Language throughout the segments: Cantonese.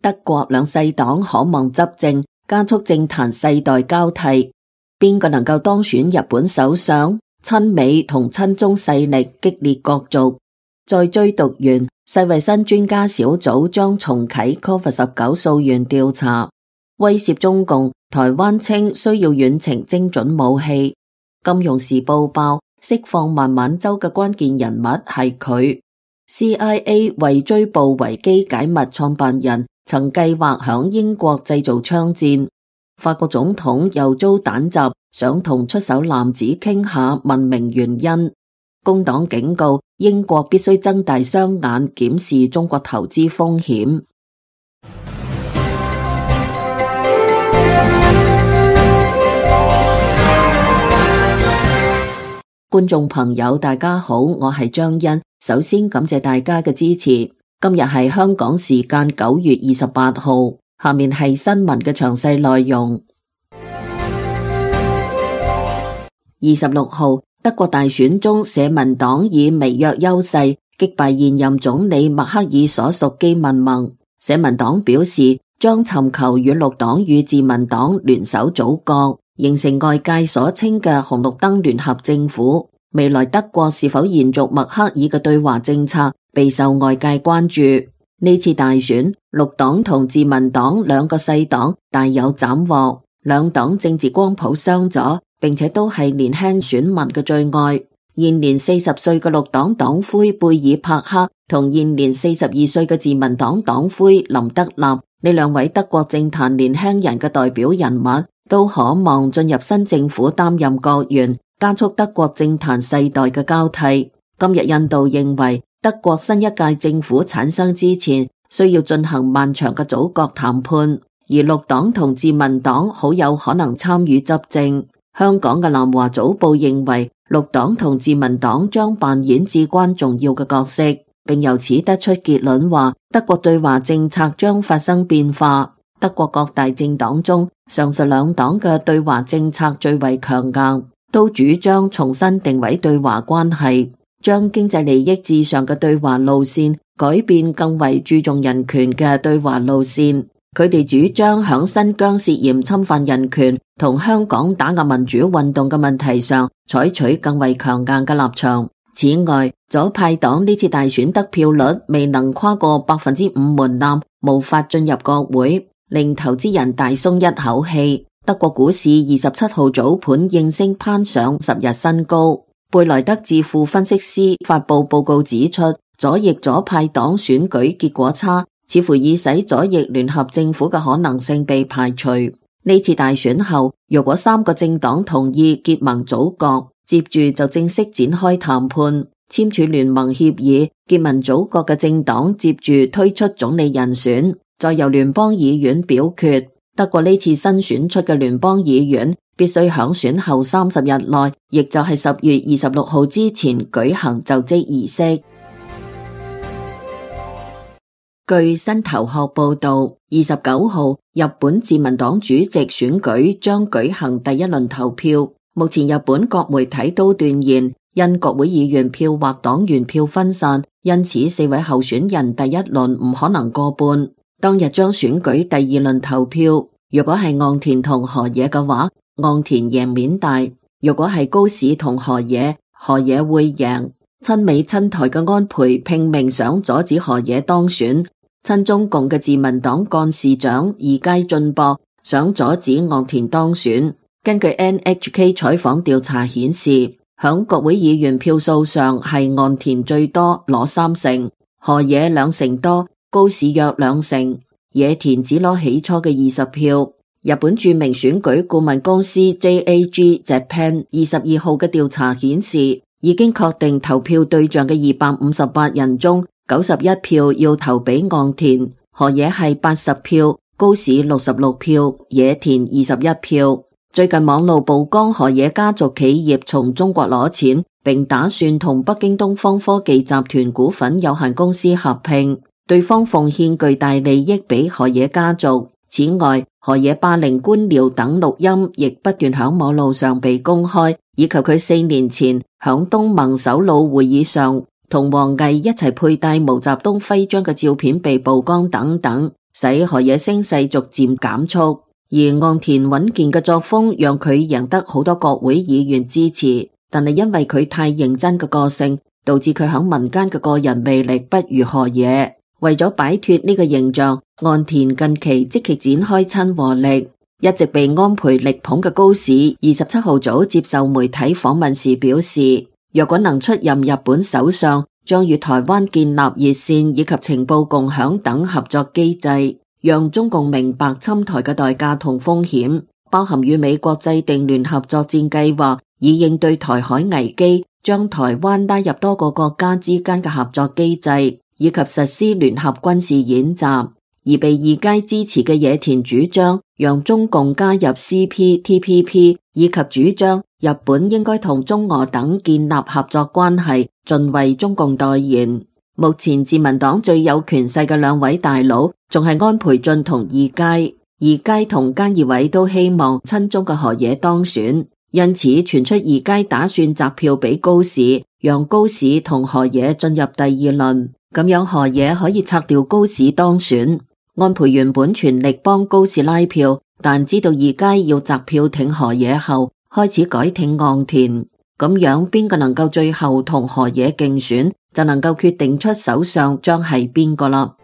德國兩細黨可望執政，加速政壇世代交替。邊個能夠當選日本首相？親美同親中勢力激烈角逐。再追讀完，世衛新專家小組將重啟 COVID-19 溯源調查，威懾中共。台灣稱需要遠程精準武器。金融時報報釋放孟晚舟嘅關鍵人物係佢。CIA 為追捕維基解密創辦人，曾計劃響英國製造槍戰。法國總統又遭彈襲，想同出手男子傾下問明原因。工黨警告英國必須睜大雙眼檢視中國投資風險。觀眾朋友大家好，我係張欣，首先感謝大家嘅支持。今日係香港時間9月28號，下面係新聞嘅詳細內容。26號，德國大選中，社民黨以微弱優勢擊敗現任總理默克爾所屬基民盟。社民黨表示將尋求與綠黨與自民黨聯手組閣，形成外界所稱嘅紅綠燈聯合政府。未來德國是否延續默克爾嘅對華政策，備受外界關注。呢次大選，綠黨同自民黨兩個細黨大有斬獲，兩黨政治光譜相左，並且都係年輕選民嘅最愛。現年40歲嘅綠黨黨魁貝爾帕克同現年42歲嘅自民黨黨魁林德納，呢兩位德國政壇年輕人嘅代表人物，都可望進入新政府擔任閣員，加速德國政壇世代嘅交替。今日印度認為德國新一屆政府產生之前，需要進行漫長嘅組閣談判，而綠黨同自民黨好有可能參與執政。香港嘅南華早報認為綠黨同自民黨將扮演至關重要嘅角色，並由此得出結論話德國對華政策將發生變化。德國各大政黨中，上述兩黨嘅對華政策最為強硬，都主張重新定位對華關係，將經濟利益至上嘅對華路線改變更為注重人權嘅對華路線。佢哋主張響新疆涉嫌侵犯人權同香港打壓民主運動嘅問題上採取更為強硬嘅立場。此外，左派黨呢次大選得票率未能跨過5%門檻，無法進入國會，令投資人大鬆一口氣。德國股市27號早盤應聲攀上10日新高。貝萊德智庫分析師發布報告指出，左翼左派黨選舉結果差，似乎已使左翼聯合政府嘅可能性被排除。呢次大選後，如果3個政黨同意結盟組閣，接住就正式展開談判，簽署聯盟協議。結盟組閣嘅政黨接住推出總理人選，再由聯邦議院表決。德國呢次新選出嘅聯邦議院必須響選後30日內，亦就係10月26號之前舉行就職儀式。據新頭殼報道，29號日本自民黨主席選舉將舉行第一輪投票。目前日本各媒體都斷言，因國會議員票或黨員票分散，因此4位候選人第一輪唔可能過半。當日將選舉第二輪投票，如果係岸田同河野嘅話，岸田贏面大；如果係高市同河野，河野會贏。親美親台嘅安倍拼命想阻止河野當選，親中共嘅自民黨幹事長二階俊博想阻止岸田當選。根據 NHK 採訪調查顯示，響國會議員票數上係岸田最多攞3成，河野2成多，高市約2成，野田只攞起初嘅20票。日本著名選舉顧問公司 JAG Japan 22號嘅調查顯示，已經確定投票對象嘅258人中，91票要投俾岸田，河野係80票，高市66票，野田21票。最近網路曝光河野家族企業從中國攞錢，並打算同北京東方科技集團股份有限公司合併，對方奉獻巨大利益俾河野家族。此外，河野霸凌官僚等錄音亦不斷響網路上被公開，以及佢4年前響東盟首腦會議上同王毅一齊佩戴毛澤東徽章嘅照片被曝光等等。使河野聲勢逐漸減速。而岸田穩健嘅作風讓佢贏得好多國會議員支持，但係因為佢太認真嘅個性，導致佢響民間嘅個人魅力不如河野。為咗擺脫呢個形象，岸田近期積極展開親和力。一直被安倍力捧嘅高市27號早接受媒體訪問時表示，若果能出任日本首相，將與台灣建立熱線以及情報共享等合作機制，讓中共明白侵台嘅代價同風險，包含與美國制定聯合作戰計劃，以應對台海危機，將台灣拉入多個國家之間嘅合作機制，以及實施聯合軍事演習。而被二階支持嘅野田主張讓中共加入 CPTPP， 以及主張日本應該同中俄等建立合作關係，盡為中共代言。目前自民黨最有權勢嘅兩位大佬仲係安倍晉同二階，二階同菅義偉都希望親中嘅河野當選，因此傳出二階打算擲票俾高市，讓高市同河野進入第二輪，咁樣河野可以拆掉高市當選。安倍原本全力幫高市拉票，但知道二階要擲票挺河野後，開始改挺岸田，咁樣邊個能夠最後同河野競選，就能夠決定出首相將係邊個啦。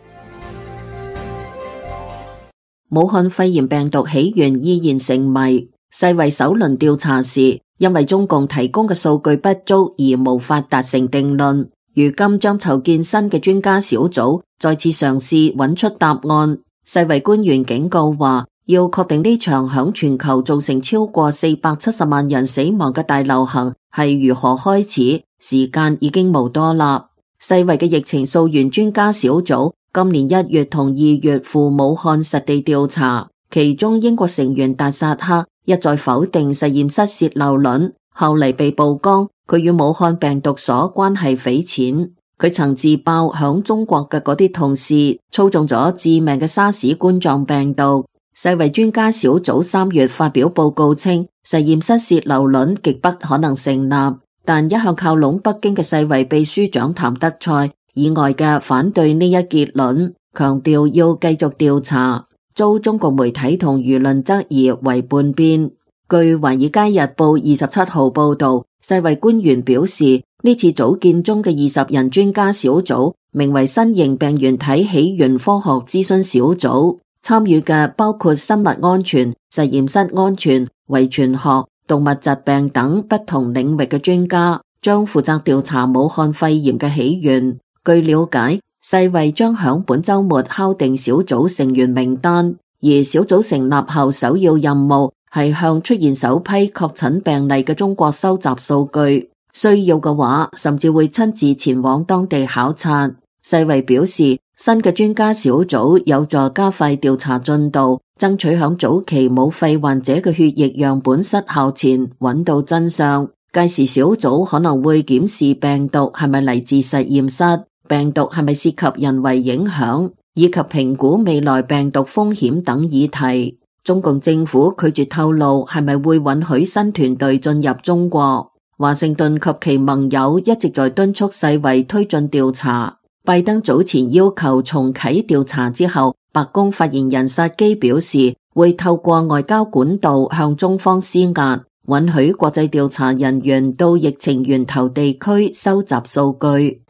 武漢肺炎病毒起源依然成謎，世衛首輪調查時，因為中共提供嘅數據不足而無法達成定論。如今將籌建新嘅專家小組，再次嘗試揾出答案。世衛官員警告話，要確定呢場響全球造成超過470萬人死亡嘅大流行係如何開始，時間已經無多啦。世衛嘅疫情溯源專家小組今年1月同2月赴武漢實地調查，其中英國成員達薩克一再否定實驗室洩漏論，後嚟被曝光佢與武漢病毒所關係匪淺。佢曾自爆響中國嘅嗰啲同事操縱咗致命嘅沙士冠狀病毒。世衛專家小組3月發表報告稱，實驗室洩漏論極不可能成立，但一向靠攏北京嘅世衛秘書長譚德塞以外嘅反對呢一結論，強調要繼續調查，遭中國媒體同輿論質疑為叛變。據華爾街日報27號報道，世衛官員表示，呢次組建中嘅20人專家小組名為新型病原體起源科學諮詢小組，參與嘅包括生物安全、實驗室安全、遺傳學、動物疾病等不同領域嘅專家，將負責調查武漢肺炎嘅起源。據了解，世衛將響本周末敲定小組成員名單，而小組成立後首要任務係向出現首批確診病例嘅中國收集數據，需要嘅話甚至會親自前往當地考察。世衛表示，新嘅專家小組有助加快調查進度，爭取響早期冇肺患者嘅血液樣本失效前揾到真相。屆時小組可能會檢視病毒係咪嚟自實驗室，病毒係咪涉及人為影響，以及評估未來病毒風險等議題。中共政府拒絕透露係咪會允許新團隊進入中國。華盛頓及其盟友一直在敦促世衛推進調查。拜登早前要求重啟調查之後，白宮發言人薩基表示會透過外交管道向中方施壓，允許國際調查人員到疫情源頭地區收集數據。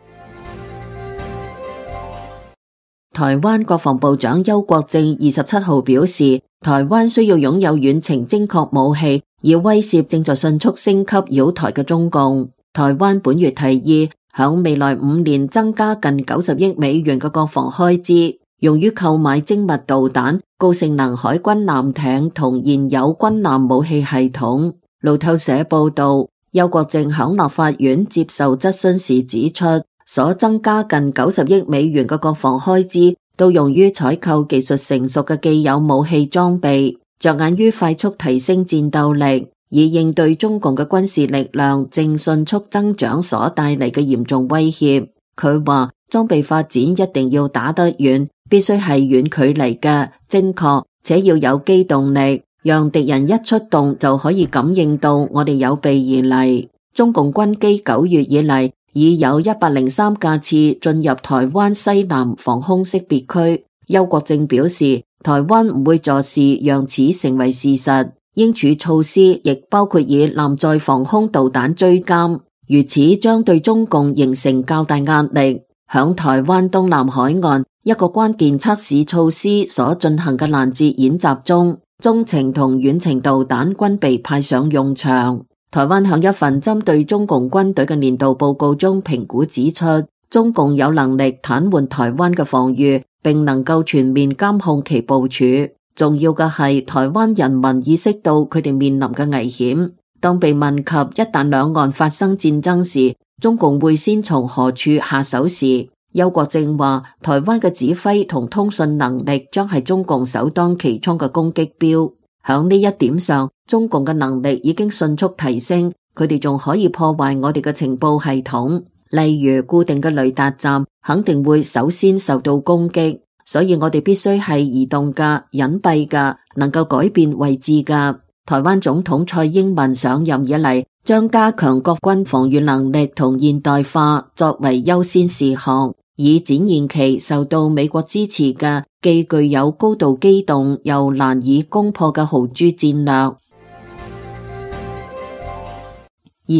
台灣國防部長邱國正27號表示，台灣需要擁有遠程精確武器，以威懾正在迅速升級擾台嘅中共。台灣本月提議響未來5年增加近90億美元嘅國防開支，用於購買精密導彈、高性能海軍艦艇同現有軍艦武器系統。路透社報道，邱國正響立法院接受質詢時指出，所增加近90億美元嘅國防開支都用於採購技術成熟嘅既有武器裝備，着眼於快速提升戰鬥力，以應對中共嘅軍事力量正迅速增長所帶嚟嘅嚴重威脅。佢話裝備發展一定要打得遠，必須係遠距離嘅、精確，且要有機動力，讓敵人一出動就可以感應到我哋有備而嚟。中共軍機9月以嚟已有103架次進入台灣西南防空識別區，邱國正表示，台灣唔會坐視讓此成為事實，應處措施亦包括以艦載防空導彈追監，如此將對中共形成較大壓力。響台灣東南海岸一個關鍵測試措施所進行嘅攔截演習中，中程同遠程導彈均被派上用場。台灣響一份針對中共軍隊嘅年度報告中評估指出，中共有能力癱瘓台灣嘅防禦，並能夠全面監控其部署。重要嘅係台灣人民意識到佢哋面臨嘅危險。當被問及一旦兩岸發生戰爭時，中共會先從何處下手時，邱國正話，台灣嘅指揮同通訊能力將係中共首當其衝嘅攻擊標。響呢一點上，中共嘅能力已經迅速提升，佢哋仲可以破壞我哋嘅情報系統，例如固定嘅雷達站肯定會首先受到攻擊，所以我哋必須係移動嘅、隱蔽嘅、能夠改變位置嘅。台灣總統蔡英文上任以嚟，將加強國軍防禦能力同現代化作為優先事項，以展現其受到美國支持嘅既具有高度機動又難以攻破嘅豪豬戰略。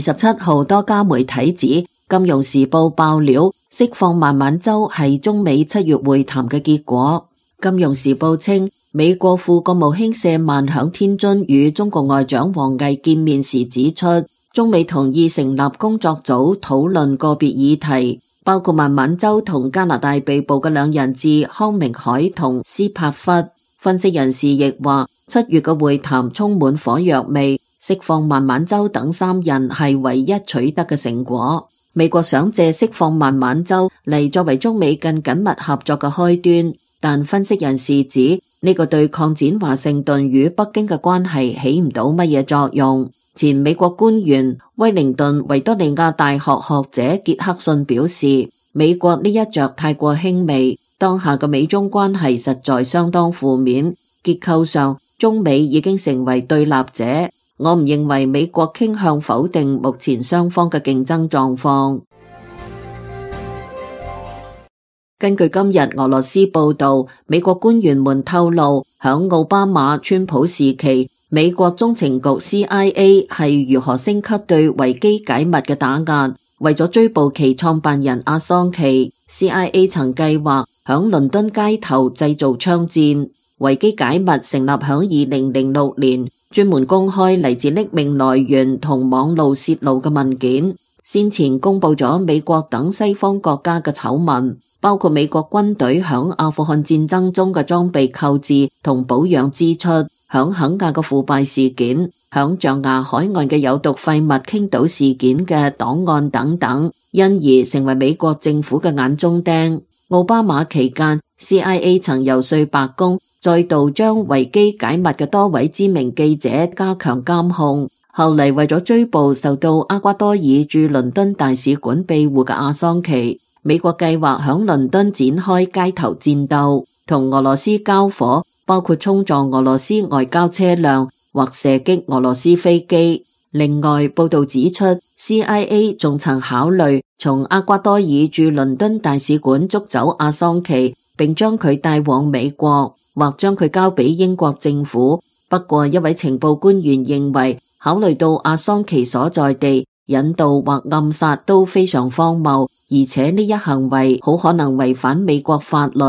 27號多家媒體指，《金融時報》爆料釋放孟晚舟係中美7月會談嘅結果。《金融時報》稱，美國副國務卿舍曼響天津與中國外長王毅見面時指出，中美同意成立工作組討論個別議題，包括孟晚舟同加拿大被捕嘅兩人質康明凱同斯帕弗。分析人士亦話，7月嘅會談充滿火藥味，釋放孟晚舟等3人係唯一取得嘅成果。美國想借釋放孟晚舟嚟作為中美更緊密合作嘅開端，但分析人士指呢個對擴展華盛頓與北京嘅關係起唔到乜嘢作用。前美國官員威靈頓維多利亞大學學者傑克遜表示，美國呢一着太過輕微，當下嘅美中關係實在相當負面，結構上中美已經成為對立者。我唔認為美國傾向否定目前雙方嘅競爭狀況。根據今日俄羅斯報道，美國官員們透露，響奧巴馬、川普時期，美國中情局 CIA 係如何升級對維基解密嘅打壓。為咗追捕其創辦人阿桑奇， CIA 曾計劃響倫敦街頭製造槍戰。維基解密成立響2006年，專門公開嚟自匿名來源同網路洩露嘅文件。先前公布咗美國等西方國家嘅醜聞，包括美國軍隊響阿富汗戰爭中嘅裝備購置同保養支出，響肯亞嘅腐敗事件，響象牙海岸嘅有毒廢物傾倒事件嘅檔案等等，因而成為美國政府嘅眼中釘。奧巴馬期間 CIA 曾游說白宮再度將維基解密嘅多位知名記者加強監控。後嚟為咗追捕受到厄瓜多爾駐倫敦大使館庇護嘅阿桑奇，美國計劃響倫敦展開街頭戰鬥，同俄羅斯交火，包括衝撞俄羅斯外交車輛或射擊俄羅斯飛機。另外，報道指出 CIA 仲曾考慮從厄瓜多爾駐倫敦大使館捉走阿桑奇，並將佢帶往美國，或將佢交俾英國政府。不過一位情報官員認為，考慮到阿桑奇所在地，引渡或暗殺都非常荒謬，而且呢一行為好可能違反美國法律。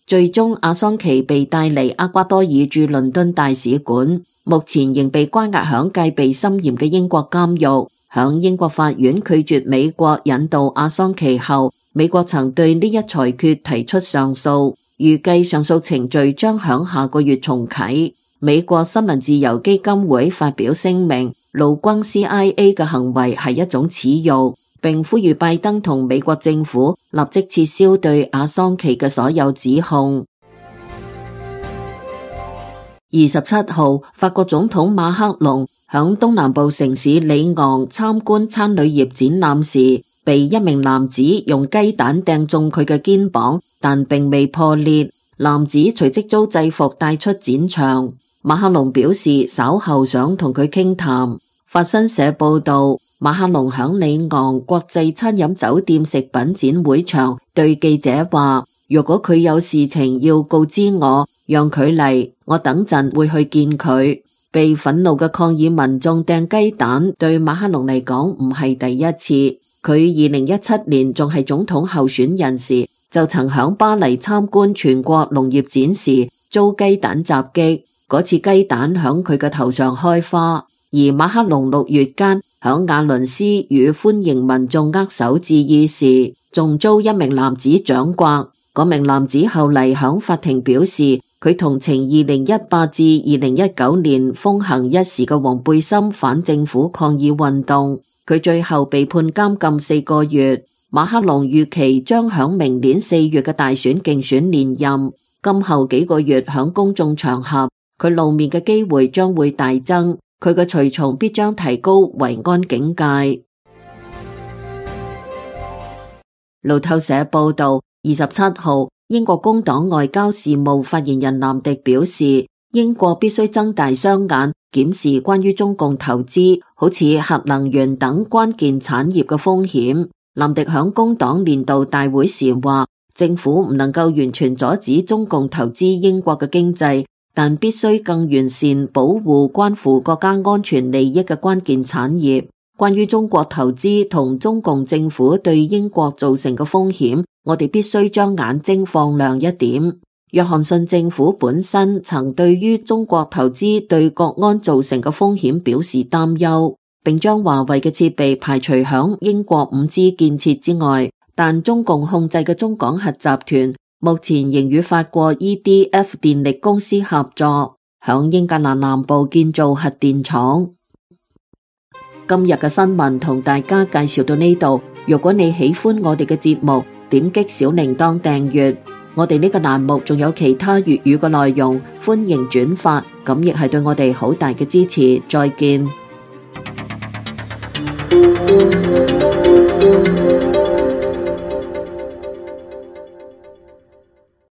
最終阿桑奇被帶離厄瓜多爾駐倫敦大使館，目前仍被關押響戒備森嚴嘅英國監獄。響英國法院拒絕美國引渡阿桑奇後，美國曾對呢一裁決提出上訴，預計上訴程序將響下個月重啟。美國新聞自由基金會發表聲明，怒轟 CIA 嘅行為係一種恥辱，並呼籲拜登同美國政府立即撤銷對阿桑奇嘅所有指控。27號，法國總統馬克龍響東南部城市里昂參觀餐旅業展覽時，被一名男子用雞蛋掟中佢嘅肩膀，但並未破裂。男子隨即遭制服帶出展場。馬克龍表示稍後想同佢傾談。法新社報道，馬克龍響里昂國際餐飲酒店食品展會場對記者話，如果佢有事情要告知我，讓佢嚟，我等陣會去見佢。被憤怒嘅抗議民眾掟雞蛋，對馬克龍嚟講唔係第一次。佢2017年仲係總統候選人時，就曾響巴黎參觀全國農業展時遭雞蛋襲擊，嗰次雞蛋響佢嘅頭上開花。而馬克龍6月間響亞倫斯與歡迎民眾握手致意時，仲遭一名男子掌摑。嗰名男子後嚟響法庭表示，佢同情2018至2019年風行一時嘅黃背心反政府抗議運動。佢最後被判監禁4個月。馬克龍預期將響明年4月嘅大選競選連任。今後幾個月響公眾場合，佢露面嘅機會將會大增。佢嘅隨從必將提高維安警戒。路透社報道，27號，英國工黨外交事務發言人藍迪表示，英國必須睜大雙眼檢視關於中共投資，好似核能源等關鍵產業嘅風險。藍迪響工黨年度大會時話，政府唔能夠完全阻止中共投資英國嘅經濟，但必須更完善保護關乎國家安全利益嘅關鍵產業。關於中國投資同中共政府對英國造成嘅風險，我哋必須將眼睛放亮一點。約翰遜政府本身曾對於中國投資對國安造成嘅風險表示擔憂，並將華為嘅設備排除響英國5G 建設之外。但中共控制嘅中港核集團目前仍與法國 EDF 電力公司合作，響英格蘭南部建造核電廠。今日嘅新聞同大家介紹到呢度。如果你喜歡我哋嘅節目，點擊小鈴鐺訂閱。我哋呢個欄目仲有其他粵語嘅內容，歡迎轉發，咁亦係對我哋好大嘅支持。再見。